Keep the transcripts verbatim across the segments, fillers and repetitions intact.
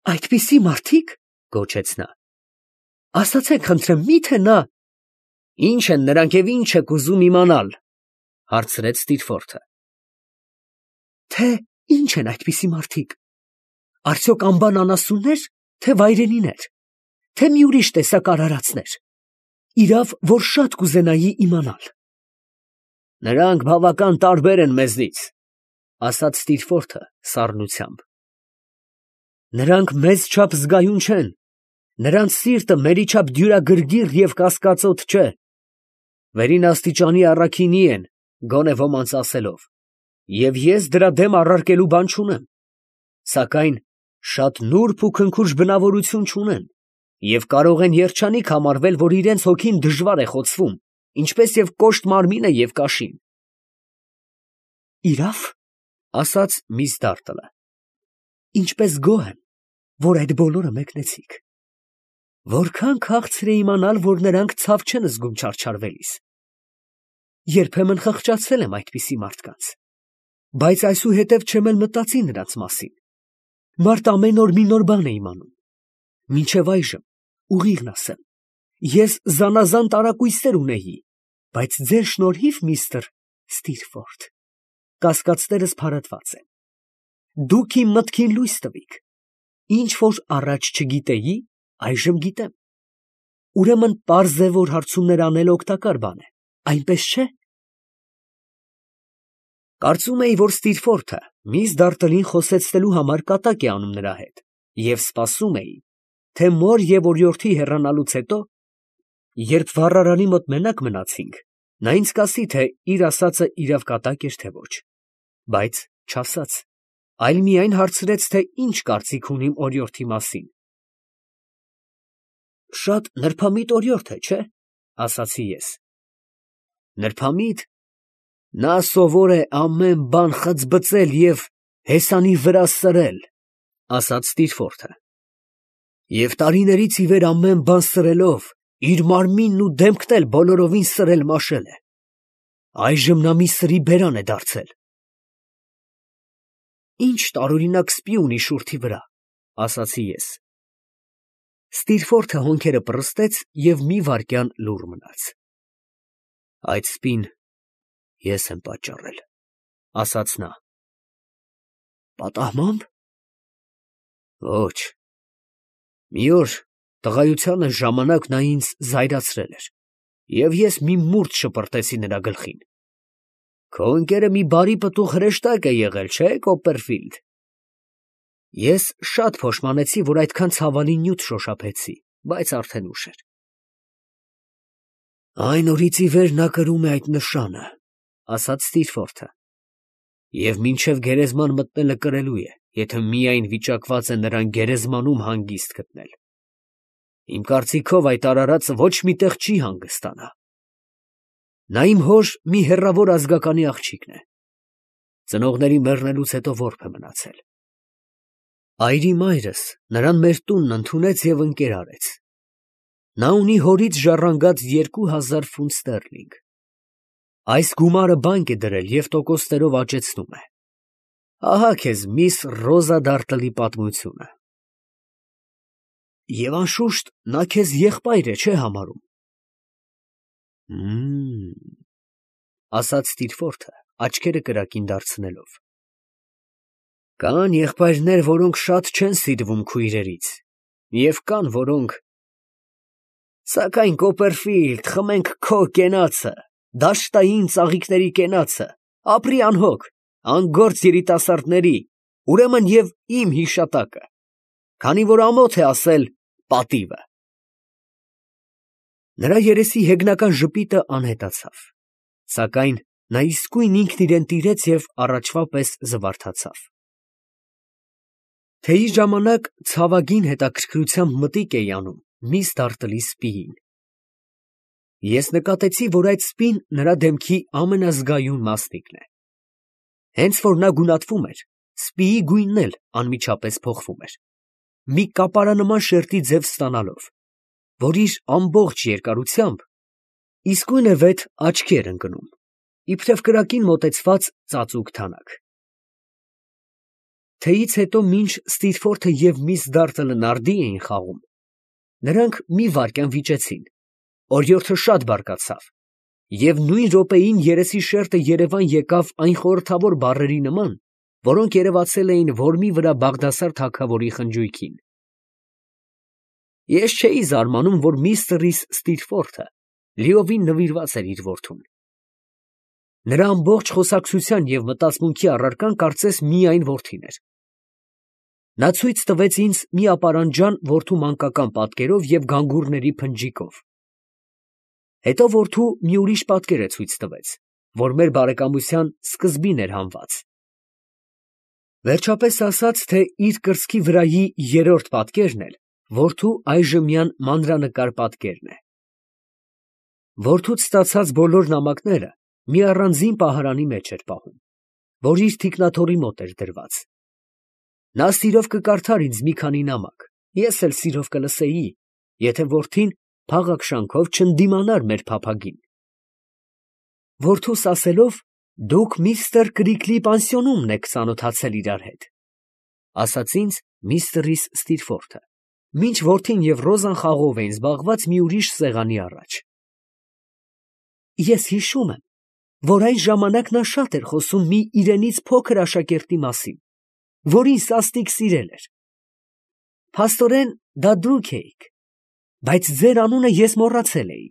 Այդպիսի մարդիկ, գոչեց նա, ասացեք խնդրեմ, միթե նա… Ի՞նչ են նրանք և ի՞նչ եք ուզում իմանալ, հարցրեց Ստիրֆորթը։ Թե ի՞նչ են այդպիսի մարդիկ, արդյոք անբան անասուննե՞ր, թե վայրենիներ, թե մի ուրիշ տեսակ արարածնե՞ր, իրավ, որ շատ կուզենայի իմանալ։ Նրանք բավական տարբեր են մեզնից, ասաց Ստիրֆորթը սառնությամբ։ Նրանք մեզ չափ զգայուն չեն, նրանց սիրտը մերի չափ դյուրագրգիռ և կասկածոտ չէ, վերին աստիճանի առաքինի են, գոնե ոմանց ասելով, և ես դրա դեմ առարկելու բան չունեմ, սակայն շատ նուրբ ու քնքուշ բնավորություն չունեն և կարող են երջանիկ համարվել, որ իրենց հոգին դժվար է խոցվում, ինչպես և կոշտ մարմինը և կաշին։ Իրավ, ասաց միս Դարտլը, ինչպես գոհ եմ, որ այդ բոլորը մեկնեցիք։ Որքան քաղցր է իմանալ, որ նրանք ցավ չեն զգում չարչարվելիս։ Երբեմն խղճացել եմ այդպիսի մարդկանց, բայց այսուհետև չեմ էլ մտածի նրանց մասին։ Մարդ ամեն օր մի նոր բան է իմանում։ Մինչև այժմ, ուղիղն ասեմ, ես զանազան տարակույսեր ունեի, բայց ձեր շնորհիվ, միստր Ստիրֆորթ, կասկածներս փարատված են։ Դուք իմ մտքին լույս տվիք։ Ինչ որ առաջ չգիտեի, այժմ գիտեմ։ Ուրեմն պարզ է, որ հարցումներ անելը օգտակար բան է, այնպես չէ՞։ Կարծում էի, որ Ստիրֆորթը միս Դարտլին խոսեցնելու համար կատակ է անում նրա հետ, և սպասում էի, թե մոր և օրիորդի հեռանալուց հետո, երբ վառարանի մոտ մենակ մնացինք, նա ինձ կասի, թե իր ասածը իրավ կատակ էր, թե ոչ, բայց չասաց, այլ միայն հարցրեց, թե ինչ կարծիք ունիմ օրիորդի մասին։ Շատ նրբամիտ օրիորդ է, չէ՞, ասացի ես։ Նրբամիտ… Նա սովոր է ամեն բան խծբծել և հեսանի վրա սրել, ասաց Ստիրֆորթը, և տարիներից ի վեր ամեն բան սրելով, իր մարմինն ու դեմքն էլ բոլորովին սրել մաշել է։ Այժմ նա մի սրի բերան է դարձել։ Ինչ տարօրինակ սպի ունի շուրթի վրա, ասացի ես։ Ստիրֆորթը հոնքերը պռստեց և մի վայրկյան լուռ մնաց։ Այդ սպին ես եմ պատճառել, ասաց նա։ Պատահմամբ։ Ոչ, մի օր տղայությանս ժամանակ նա ինձ զայրացրել էր, և ես մի մուրդ շպրտեցի նրա գլխին։ Քո ընկերը մի բարի պտուղ հրեշտակ է եղել, չէ՞, Կոպերֆիլդ։ Ես շատ փոշմանեցի, որ այդքան ցավալի նյութ շոշափեցի, բայց արդեն ուշ էր։ Այն օրից ի վեր նա կրում է այդ նշանը, ասաց Ստիրֆորթը, և մինչև գերեզման մտնելը կրելու է, եթե միայն վիճակված է նրան գերեզմանում հանգիստ գտնել։ Իմ կարծիքով այդ արարածը ոչ մի տեղ չի հանգստանա։ Նա իմ հոր մի հեռավոր ազգականի աղջիկն է։ Ծնողների մեռնելուց հետո որբ է մնացել։ Այրի մայրս նրան մեր տունն ընդունեց և ընկեր արեց։ Նա ունի հորից ժառանգած երկու հազար ֆունտ ստերլինգ։ Այս գումարը բանկ է դրել և տոկոսներով աճեցնում է։ Ահա քեզ միս Ռոզա Դարտլի պատմությունը։ Եվ անշուշտ նա քեզ եղբայր է, չէ՞ համարում։ Հըմ… ասաց Ստիրֆորթը, աչքերը կրակին դարձնելով։ Կան եղբայրներ, որոնք շատ չեն սիրվում քույրերից, և կան, որոնք… Սակայն, Կոպերֆիլդ, խմենք քո կենացը, դաշտային ծաղիկների կենացը, ապրի անհոգ, անգործ երիտասարդների, ուրեմն և իմ հիշատակը, քանի որ ամոթ է ասել պատիվը… Նրա երեսի հեգնական ժպիտը անհետացավ, սակայն նա իսկույն ինքն իրան տիրեց և առաջվա պես զվարթացավ։ Թեյի ժամանակ ցավագին հետաքրքրությամբ մտիկ էի անում միս Դարտլի սպիին։ Ես նկատեցի, որ այդ սպին նրա դեմքի ամենազգայուն մասնիկն է։ Հենց որ նա գունատվում էր, սպիի գույնն էլ անմիջապես փոխվում էր, մի կապարանման շերտի ձև ստանալով, որ իր ամբողջ երկարությամբ իսկույնևեթ աչքի էր ընկնում, իբրև կրակին մոտեցված ծածուկ թանաք։ Թեից հետո մինչ Ստիրֆորթը և միս Դարտլը նարդի էին խաղում, նրանք մի վայրկյան վիճեցին, օրիորդը շատ բարկացավ, և նույն րոպեին երեսի շերտը երևան եկավ այն խորհրդավոր բառերի նման, որոնք երևացել էին որմի վրա Բաղդասար թագավորի խնջույքին։ Ես չէի զարմանում, որ միստր Ռիս Ստիրֆորթը լիովին նվիրված էր իր որդուն։ Նրա ամբողջ խոսակցության և մտածմունքի առարկան կարծես միայն որդին էր։ Նա ցույց տվեց ինձ մի ապարանջան որդու մանկական պատկերով և գանգուրների փնջիկով։ Հետո որդու մի ուրիշ պատկեր է ցույց տվեց, որ մեր բարեկամության սկզբին էր հանված։ Վերջապես ասաց, թե իր կրծքի վրայի երրորդ պատկերն էլ որդու այժմյան մանրանկար պատկերն է։ Որդուց ստացած բոլոր նամակները մի առանձին պահարանի մեջ էր պահում, որ իր թիկնաթոռի մոտ էր դրված։ Նա սիրով կկարդար ինձ մի քանի նամակ, ես էլ սիրով կլսեի, եթե որդին փաղաքշանքով չընդդիմանար մեր փափագին։ Որդուս ասելով, դուք միստր Կրիկլի պանսիոնումն եք ծանոթացել իրար հետ, ասաց ինձ միստր Ռիս Ստիրֆորթը, մինչ որդին և Ռոզան խաղով էին զբաղված մի ուրիշ սեղանի առաջ։ Ես հիշում եմ, որ այն ժամանակ նա շատ էր խոսում մի իրենից փոքր աշակերտի մասին, որին սաստիկ սիրել էր։ Փաստորեն, դա դուք էիք, բայց ձեր անունը ես մոռացել էի։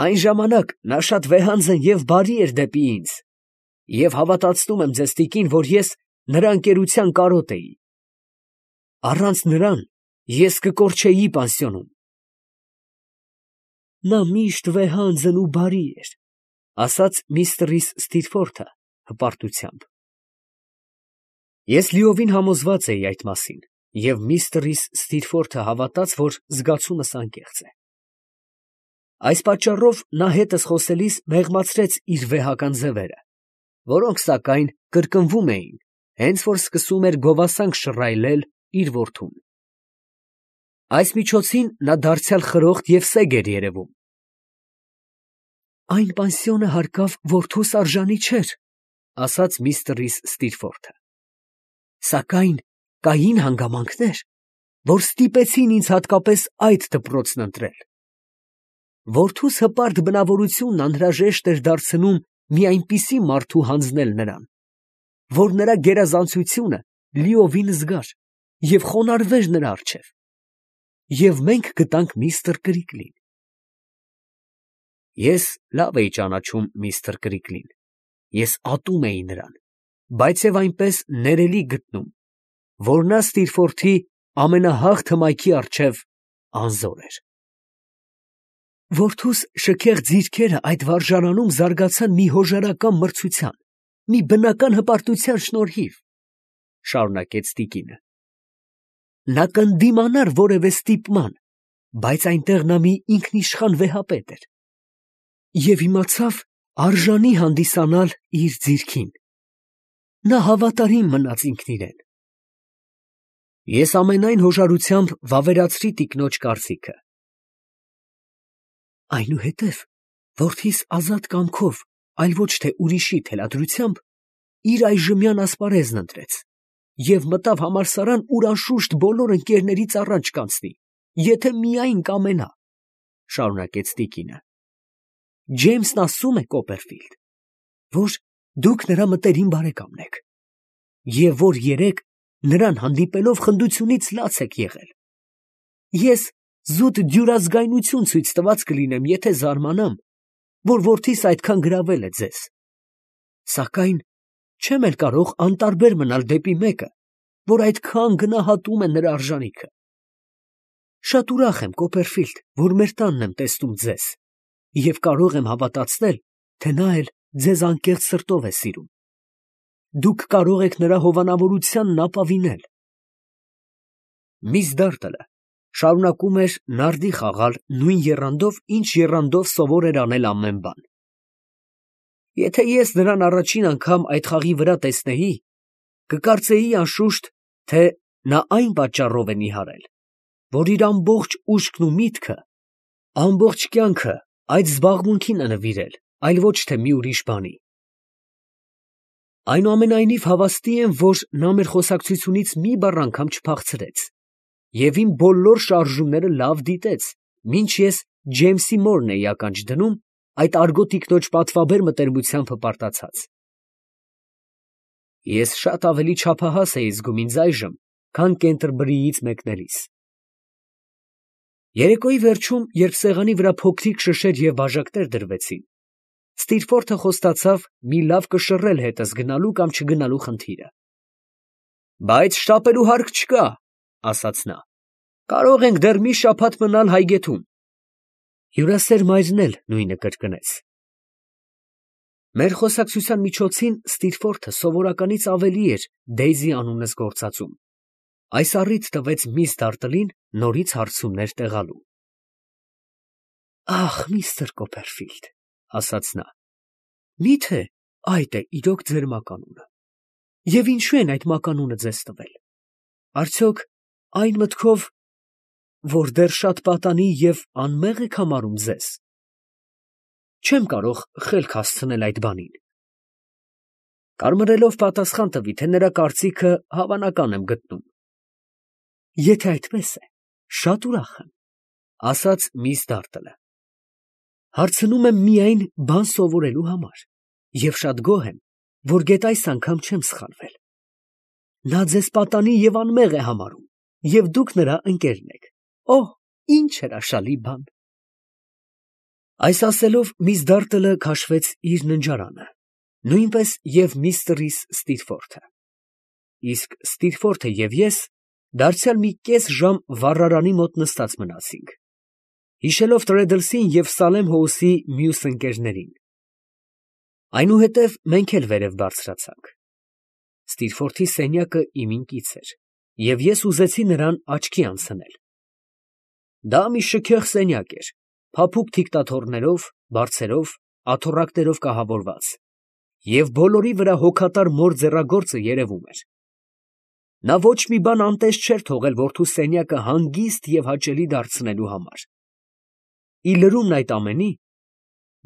Այն ժամանակ նա շատ վեհանձն և բարի էր դեպի ինձ, և հավատացնում եմ ձեզ, տիկին, որ ես նրա ընկերության կարոտ էի։ Առանց նրան ես կկորչեի պանսիոնում։ Նա միշտ վեհանձն ու բարի էր, ասաց միստր Ռիս Ստիրֆորթը հպարտությամբ։ Ես լիովին համոզված էի այդ մասին, և միստր Ռիս Ստիրֆորթը հավատաց, որ զգացումս անկեղծ է։ Այս պատճառով նա հետս խոսելիս մեղմացրեց իր վեհական ձևերը, որոնք, սակայն, կրկնվում էին, հենց որ սկսում էր գովասանք շռայլել իր որդուն։ Այս միջոցին նա դարձյալ խրոխտ և սեգ էր երևում։ Այն պանսիոնը հարկավ որդուս արժանի չէր, ասաց միստր Ռիս Ստիրֆորթը, սակայն կային հանգամանքներ, որ ստիպեցին ինձ հատկապես այդ դպրոցն ընտրել։ Որդուս հպարտ բնավորությունն անհրաժեշտ էր դարձնում մի այնպիսի մարդու հանձնել նրան, որ նրա գերազանցությունը լիովին զգար և խոնարհվեր նրա առջև, և մենք գտանք միստր Կրիկլին։ Ես լավ էի ճանաչում միստր Կրիկլին, ես ատում էի նրան, բայց և այնպես ներելի գտնում, որ նա Ստիրֆորթի ամենահաղ հմայքի առջև անզոր էր։ Որդուս շքեղ ձիρքերը այդ վարժարանում զարգացան մի հոժարական մրցության, մի բնական հպարտության շնորհիվ, շարունակեց տիկինը։ Նա կընդդիմանար որևէ ստիպման, բայց այնտեղ նա մի ինքնիշխան վեհապետ էր և իմացավ արժանի հանդիսանալ իր ձիրքին։ Նա հավատարիմ մնաց ինքն իրեն։ Ես ամենայն հոժարությամբ վավերացրի տիկնոջ կարծիքը։ Այնուհետև որդիս ազատ կամքով, այլ ոչ թե ուրիշի թելադրությամբ, իր այժմյան ասպարեզն ընտրեց և մտավ համալսարան, ուր անշուշտ բոլոր ընկերներից առաջ կանցնի, եթե միայն կամենա, ֊ շարունակեց տիկինը։ Ջեյմսն ասում է, Կոպերֆիլդ, որ դուք նրա մտերիմ բարեկամն եք, և որ երեկ նրան հանդիպելով խնդությունից լաց եք եղել։ Ես զուտ դյուրազգայնություն ցույց տված կլինեմ, եթե զարմանամ, որ որդիս այդքան գրավել է ձեզ, սակայն չեմ էլ կարող անտարբեր մնալ դեպի մեկը, որ այդքան գնահատում է նրա արժանիքը։ Շատ ուրախ եմ, Կոպերֆիլդ, որ մեր տանն եմ տեսնում ձեզ, և կարող եմ հավատացնել, թե նա էլ ձեզ անկեղծ սրտով է սիրում։ Դուք կարող եք նրա հովանավորությանն ապավինել։ Միս Դարտլը շարունակում էր նարդի խաղալ նույն եռանդով, ինչ եռանդով սովոր էր անել ամեն բան։ Եթե ես նրան առաջին անգամ այդ խաղի վրա տեսնեի, կկարծեի անշուշտ, թե նա այն պատճառով է նիհարել, որ իր ամբողջ ուշքն ու միտքը, ամբողջ կյանքը այդ զբաղմունքին է նվիրել, այլ ոչ թե մի ուրիշ բանի։ Այնուամենայնիվ հավաստի եմ, որ նա մեր խոսակցությունից մի բառ անգամ չփախցրեց և իմ բոլոր շարժումները լավ դիտեց, մինչ ես Ջեյմսի մորն էի ականջ դնում, այդ արգո տիկնոջ պատվաբեր մտերմությամբ հպարտացած։ Ես շատ ավելի չափահաս էի զգում ինձ այժմ, քան Կենտերբերիից մեկնելիս։ Երեկոյի վերջում, երբ սեղանի վրա փոքրիկ շշեր և բաժակներ դրվեցին, Ստիրֆորթը խոստացավ մի լավ կշռել հետս գնալու կամ չգնալու խնդիրը։ «Բայց շտապելու հարկ չկա, ֊ ասաց նա, ֊ կարող ենք դեռ մի շաբաթ մնալ Հայգեթում»։ Հյուրասեր մայրն էլ նույնը կրկնեց։ Մեր խոսակցության միջոցին Ստիրֆորթը սովորականից ավելի էր Դեյզի անունս գործածում. այս առիթ տվեց միս Դարտլին նորից հարցումներ տեղալու։ «Ախ, միստր Կոպերֆիլդ, ֊ ասաց նա, ֊ մի՞թե այդ է իրոք ձեր մականունը, և ինչո՞ւ են այդ մականունը ձեզ տվել. արդյոք այն մտքով, որ դեռ շատ պատանի և անմեղ եք համարում ձեզ. չեմ կարող խելք հասցնել այդ բանին»։ Կարմրելով պատասխան տվի, թե նրա կարծիքը հավանական եմ գտնում։ «Եթե այդպես է, շատ ուրախ եմ, ֊ ասաց միս Դարտլը, ֊ հարցնում եմ միայն բան սովորելու համար և շատ գոհ եմ, որ գեթ այս անգամ չեմ սխալվել։ Նա ձեզ պատանի և անմեղ է համարում, և դուք նրա ընկերն եք։ Օհ, ի՜նչ հրաշալի բան»։ Այս ասելով միս Դարտլը քաշվեց իր ննջարանը, նույնպես և միստրիս Ստիրֆորթը, իսկ Ստիրֆորթը և ես դարձյալ մի կես ժամ վառարանի մոտ նստած մնացինք, հիշելով Տրեդլսին և Սալեմ Հոուսի մյուս ընկերներին։ Այնուհետև մենք էլ վերև բարձրացանք։ Ստիրֆորթի սենյակը իմ ինքից էր, և ես ուզեցի նրան աչքի անցնել։ Դա մի շքեղ սենյակ էր, փափուկ թիկտաթոռներով, բարձերով, աթոռակներով կահավորված, և բոլորի վրա հոգատար մոր ձեռագործը երևում էր։ Նա ոչ մի բան անտես չէր թողել որդու սենյակը հանգիստ և հաճելի դարձնելու համար։ Ի լրումն այդ ամենի,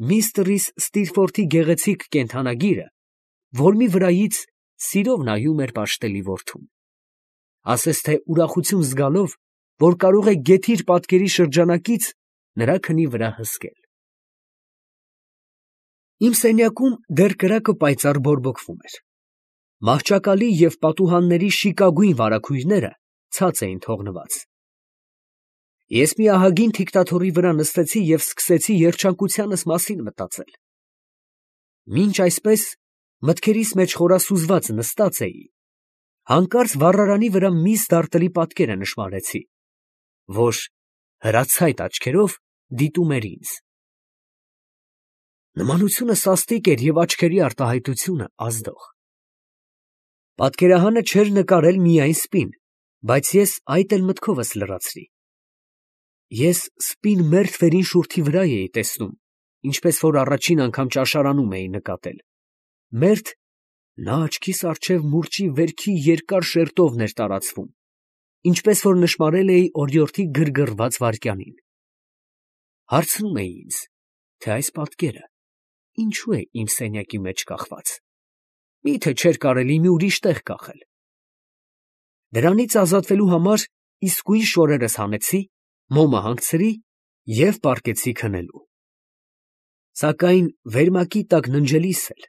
միստրիս Ստիրֆորթի գեղեցիկ կենդանագիրը որմի վրայից սիրով նայում էր պաշտելի որդուն, ասես թե ուրախություն զգալով, որ կարող է գեթի իր պատկերի շրջանակից նրա քնի վրա հսկել։ Իմ սենյակում դեռ կրակը պայծառ բորբոքվում էր։ Մահճակալի և պատուհանների շիկագույն վարագույրները ցած էին թողնված։ Ես մի ահագին թիկտաթոռի վրա նստեցի և սկսեցի երջանկությանս մասին մտածել։ Մինչ այսպես մտքերիս մեջ խորասուզված նստած էի, հանկարծ վառարանի վրա միս Դարտլի պատկերը նշմարեցի, որ հրացայտ աչքերով դիտում էր ինձ։ Նմանությունը սաստիկ էր և աչքերի արտահայտությունը ազդող։ Պատկերահանը չէր նկարել միայն սպին, բայց ես այդ էլ մտքովս լրացրի։ Ես սպին մերթ վերին շուրթի վրա էի տեսնում, ինչպես որ առաջին անգամ ճաշարանում էի նկատել, մերթ նա աչքիս առջև մուրճի վերքի երկար շերտովն էր տարածվում, ինչպես որ նշմարել էի օրիորդի գրգռված վայրկյանին։ Հարցնում էի ինձ, թե այս պատկերը ինչու է իմ սենյակի մեջ կախված, մի՞թե չէր կարելի մի ուրիշ տեղ կախել։ Դրանից ազատվելու համար իսկույն շորերս հանեցի, մոմը հանգցրի և պառկեցի քնելու։ Սակայն վերմակի տակ ննջելիս էլ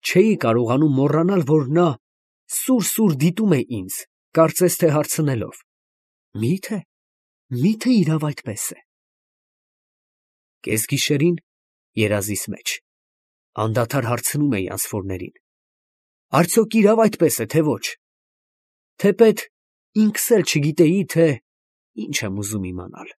չէի կարողանում մոռանալ, որ նա սուր֊սուր դիտում է ինձ, կարծես թե հարցնելով. «Մի՞թե, մի՞թե իրավ այդպես է»։ Կեսգիշերին, երազիս մեջ, անդադար հարցնում էի անսպորներին. «Արդյոք իրավ այդպես է, թե ոչ»։ Թեպետ ինքս էլ չգիտեի, թե ինչ եմ ուզում իմանալ։